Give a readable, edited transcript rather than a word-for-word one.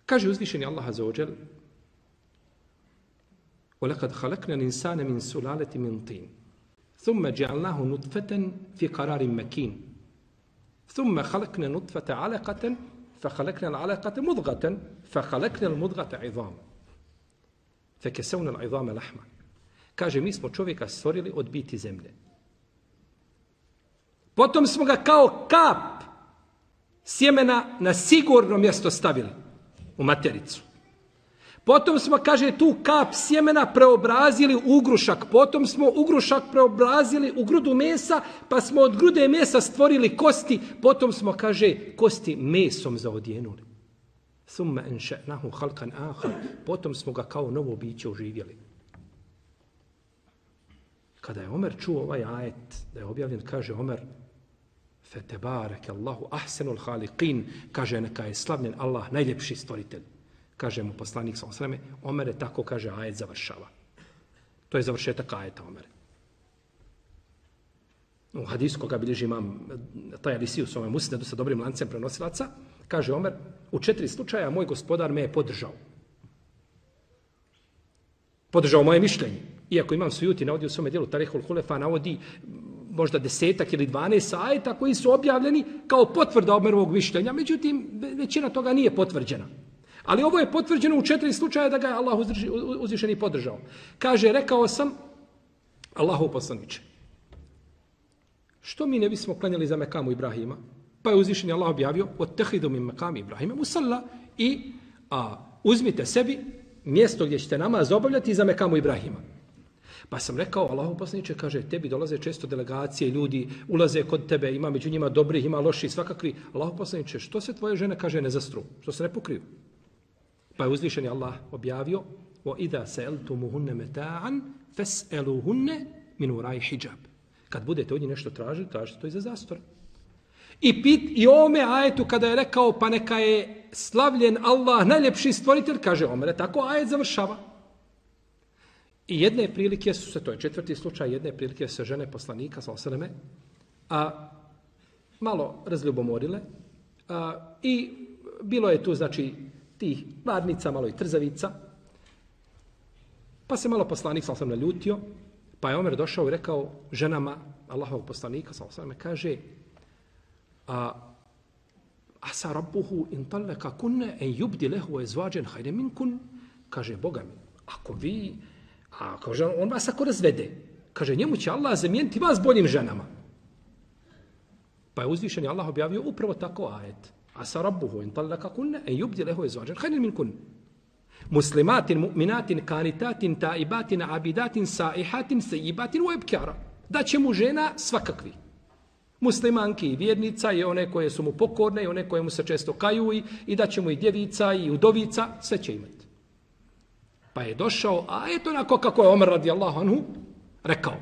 Kaže uzvišeni Allah azza wa džel: وَلَقَدْ خَلَقْنَا الْإِنسَانَ مِنْ سُلَالَةٍ مِنْ طِينٍ ثُمَّ جَعَلْنَاهُ نُطْفَةً فِي قَرَارٍ مَكِينٍ ثُمَّ خَلَقْنَا نُطْفَةَ عَلَقَةً فَخَلَقْنَا الْعَلَقَةَ مُضْغَةً فَخَلَقْنَا الْمُضْغَةَ عِظَامًا فَكَسَوْنَا الْعِظَامَ لَحْمًا. Kaže, mi smo čovjeka stvorili od biti zemlje. Potom smo ga kao kap sjemena na sigurno mjesto stavili u matericu. Potom smo, kaže, tu kap sjemena preobrazili u ugrušak. Potom smo ugrušak preobrazili u grudu mesa, pa smo od grude mesa stvorili kosti. Potom smo, kaže, kosti mesom zaodjenuli. Thumma ansha'nahu khalqan akhar. Potom smo ga kao novo biće oživjeli. Kada je Omer čuo ovaj ajet da je objavljen, kaže Omer: "Fetebareke Allahu ahsanul khaliqin", kaže, neka je slavljen Allah, najljepši stvoritelj. Kaže mu poslanik sallallahu alejhi ve selleme: "Omere, tako kaže ajet završava." To je završetak ajeta, Omere. U hadisu koga bilježi imam Tajalisi u svome musnedu sa dobrim lancem prenosilaca, kaže Omer: "U 4 slučaja moj gospodar me je podržao. Podržao moje mišljenje. Iako imam Sujuti navodi u svome dijelu Tarihul Hulefa, navodi možda 10 ili 12 ajeta koji su objavljeni kao potvrda Omerovog mišljenja. Međutim, većina toga nije potvrđena. Ali ovo je potvrđeno u 4 slučaja da ga je Allah uzvišeni podržao. Kaže, rekao sam, Allahov poslaniče, što mi ne bismo klanjali za mekamu Ibrahima? Pa je uzvišeni Allah objavio: "Ottahidu min mekami Ibrahima musalla", i uzmite sebi mjesto gdje ćete namaz obavljati za mekamu Ibrahima. Pa sam rekao, Allahov poslaniče, kaže, tebi dolaze često delegacije, ljudi ulaze kod tebe, ima među njima dobrih, ima loših, svakakvi. Allahov poslaniče, što se tvoje žene, kaže, ne zastru? Što se ne pokriju? Pa je uzvišeni Allah objavio: "وَإِذَا سَأَلْتُمُهُنَّ مَتَاعًا فَاسْأَلُوهُنَّ مِنْ وَرَاءِ حِجَابٍ." Kad budete od njih nešto tražili, tražite to iza zastora. I ome ajetu kada je rekao, pa neka je slavljen Allah, najljepši stvoritelj, kaže Omer, tako ajet završava. I jedne prilike su se, to je 4. slučaj, jedne prilike se žene poslanika, sallallahu alejhi ve selleme, malo razljubomorile, i bilo je tu, znači, tih varnica, malo i trzavica, pa se malo poslanik, sallallahu alejhi ve selleme, naljutio, pa je Omer došao i rekao ženama Allahovog poslanika, sallallahu alejhi ve selleme, kaže: "Asa rabbuhu in talaka kunne en yubdi lehu ezvađen hajde minkun." Kaže, Boga mi, ako vi, kaže, on vas ako razvede, kaže, njemu će Allah zamijeniti vas boljim ženama. Pa je uzvišeni Allah objavio upravo tako ajet: "Asa rabbuhu in talaka kunne en yubdi lehu ezvađen hajde minkun. Muslimatin, mu'minatin, kanitatin, taibatin, abidatin, saihatin, sejibatin, uebkjara." Da će mu žena svakakvi. Muslimanki i vjernica, i one koje su mu pokorne, i one koje mu se često kaju, i da će mu i djevica i udovica, sve će imati. Pa je došao, a eto onako kako je Omer radijallahu anhu rekao.